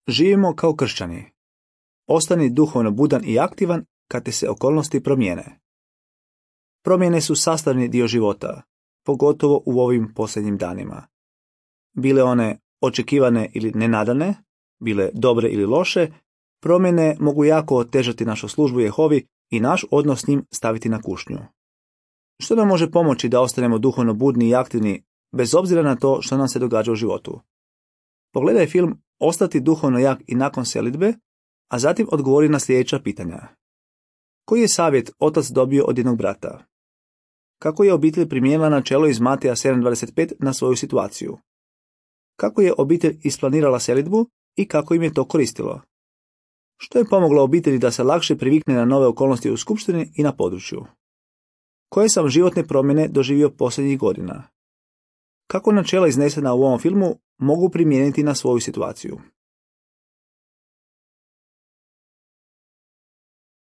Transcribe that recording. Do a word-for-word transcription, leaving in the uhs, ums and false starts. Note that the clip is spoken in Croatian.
Živimo kao kršćani. Ostani duhovno budan i aktivan kad ti se okolnosti promijene. Promjene su sastavni dio života, pogotovo u ovim posljednjim danima. Bile one očekivane ili nenadane, bile dobre ili loše, promjene mogu jako otežati našu službu Jehovi i naš odnos s njim staviti na kušnju. Što nam može pomoći da ostanemo duhovno budni i aktivni, bez obzira na to što nam se događa u životu? Pogledaj film Ostati duhovno jak i nakon selidbe, a zatim odgovori na sljedeća pitanja. Koji je savjet otac dobio od jednog brata? Kako je obitelj primijenila načelo iz Mateja sedam dvadeset pet na svoju situaciju? Kako je obitelj isplanirala selidbu i kako im je to koristilo? Što je pomoglo obitelji da se lakše privikne na nove okolnosti u skupštini i na području? Koje sam životne promjene doživio posljednjih godina? Kako načela iznesena u ovom filmu mogu primijeniti na svoju situaciju?